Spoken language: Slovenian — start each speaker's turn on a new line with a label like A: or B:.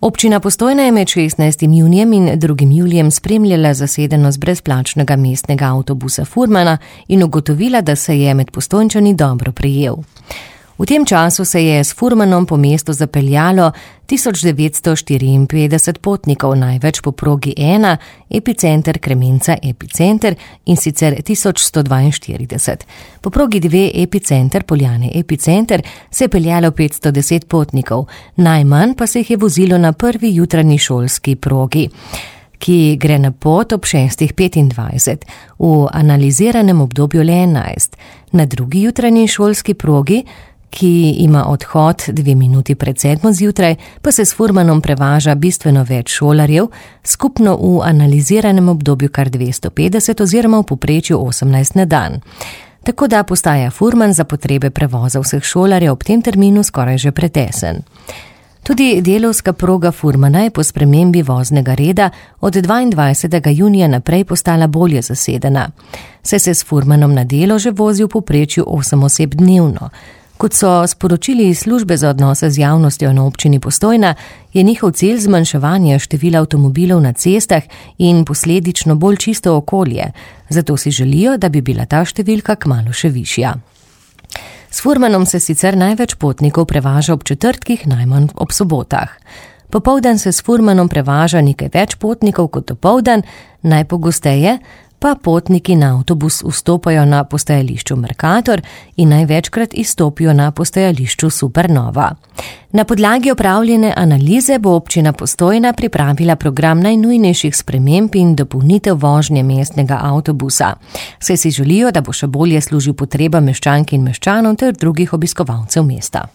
A: Občina Postojna je med 16. junijem in 2. julijem spremljala zasedenost brezplačnega mestnega avtobusa Furmana in ugotovila, da se je med Postojnčani dobro prijel. V tem času se je s Furmanom po mestu zapeljalo 1954 potnikov, največ po progi 1, epicenter Kremenca epicenter, in sicer 1142. Po progi 2, epicenter Poljane epicenter, se je peljalo 510 potnikov, najmanj pa se jih je vozilo na prvi jutranji šolski progi, ki gre na pot ob 6:25, v analiziranem obdobju le 11. Na drugi jutranji šolski progi, ki ima odhod 2 minuti pred 7 zjutraj, pa se s Furmanom prevaža bistveno več šolarjev, skupno v analiziranem obdobju kar 250 oziroma v povprečju 18 na dan. Tako da postaja Furman za potrebe prevoza vseh šolarjev ob tem terminu skoraj že pretesen. Tudi delovska proga Furmana je po spremembi voznega reda od 22. junija naprej postala bolje zasedena, saj se s Furmanom na delo že vozi v povprečju 8 oseb dnevno. Kot so sporočili iz službe za odnose z javnostjo na občini Postojna, je njihov cilj zmanjševanje števila avtomobilov na cestah in posledično bolj čisto okolje, zato si želijo, da bi bila ta številka kmalu še višja. S Furmanom se sicer največ potnikov prevaža ob četrtkih, najmanj ob sobotah. Popoldan se s Furmanom prevaža nekaj več potnikov kot dopoldan, najpogosteje pa potniki na avtobus vstopajo na postajališču Mercator in največkrat izstopijo na postajališču Supernova. Na podlagi opravljene analize bo občina Postojna pripravila program najnujnejših sprememb in dopolnitev vožnje mestnega avtobusa, saj si želijo, da bo še bolje služil potrebam meščank in meščanov ter drugih obiskovalcev mesta.